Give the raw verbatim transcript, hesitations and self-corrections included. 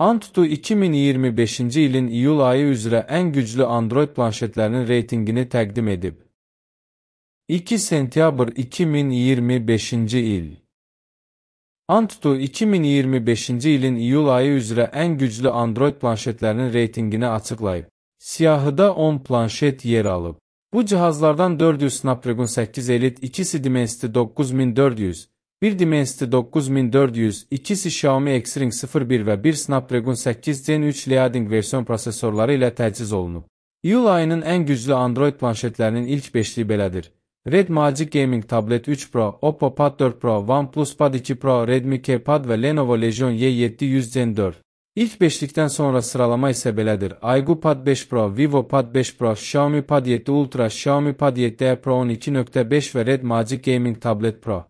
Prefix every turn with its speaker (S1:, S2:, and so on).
S1: Antutu iki min iyirmi beşinci ilin iyul ayı üzrə ən güclü Android planşetlərinin reytingini təqdim edib. iki sentyabr iki min iyirmi beşinci il. Antutu iki min iyirmi beşinci ilin iyul ayı üzrə ən güclü Android planşetlərinin reytingini açıqlayıb. Siyahıda on planşet yer alıb. Bu cihazlardan dörd yüz Snapdragon səkkiz Elite, ikisi Dimensity doqquz min dörd yüz, bir Dimensity doqquz min dörd yüz, ikisi Xiaomi X-Ring sıfır bir və bir Snapdragon səkkiz Gen üç Liading versiyon prosesorları ilə təchiz olunub. İyul ayının ən güclü Android planşetlərinin ilk beşliyi belədir. Red Magic Gaming Tablet üç Pro, Oppo Pad dörd Pro, OnePlus Pad iki Pro, Redmi K Pad və Lenovo Legion Y yeddi yüz Gen dörd. İlk beşlikdən sonra sıralama isə belədir. Aygu Pad beş Pro, Vivo Pad beş Pro, Xiaomi Pad yeddi Ultra, Xiaomi Pad yeddi Pro on iki nöqtə beş və Red Magic Gaming Tablet Pro.